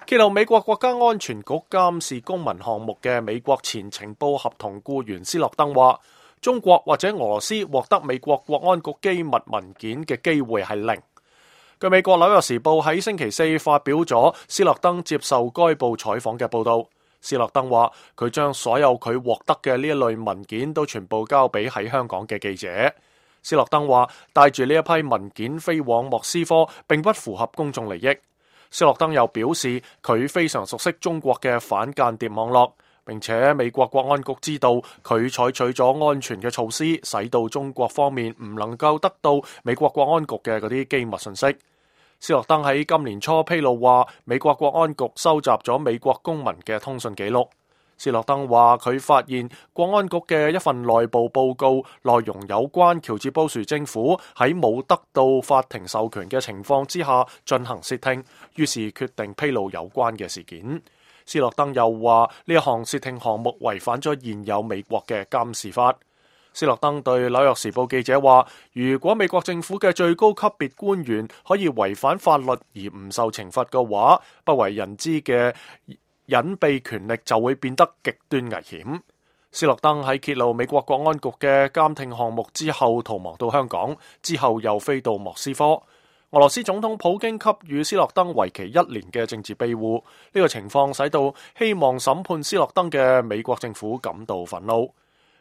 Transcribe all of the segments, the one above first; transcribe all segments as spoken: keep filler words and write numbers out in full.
揭露美國國家安全局監視公民項目嘅美國前情報合同僱員斯諾登話，中國或者俄羅斯獲得美國國安局機密文件嘅機會係零。據美國紐約時報喺星期四發表咗斯諾登接受該報採訪嘅報導，斯諾登話佢將所有佢獲得嘅呢一類文件都全部交俾喺香港嘅記者。斯諾登話帶住呢一批文件飛往莫斯科並不符合公眾利益。斯諾登又表示佢非常熟悉中國嘅反間諜網絡，並且美國國安局知道佢採取咗安全嘅措施，使到中國方面唔能夠得到美國國安局嘅嗰啲機密信息。斯諾登喺今年初披露話，美國國安局收集咗美國公民嘅通訊記錄。斯諾登話佢發現國安局嘅一份內部報告內容有關喬治布殊政府喺冇得到法庭授權嘅情況之下進行竊聽，於是決定披露有關嘅事件。斯諾登又話呢一項竊聽項目違反咗現有美國嘅監視法。斯諾登對紐約時報記者話，如果美國政府嘅最高級別官員可以違反法律而唔受懲罰嘅話，不為人知嘅隱秘權力就會變得極端危險。斯諾登喺揭露美國國安局嘅監聽項目之後逃亡到香港，之後又飛到莫斯科。俄羅斯總統普京給予斯諾登為期一年嘅政治庇護，呢個情況使到希望審判斯諾登嘅美國政府感到憤怒。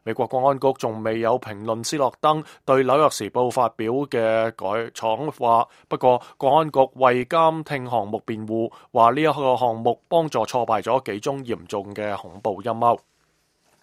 美國國安局仲未有評論斯諾登對紐約時報發表嘅改闖話，不過國安局為監聽項目辯護，話呢一個項目幫助挫敗咗幾宗嚴重嘅恐怖陰謀。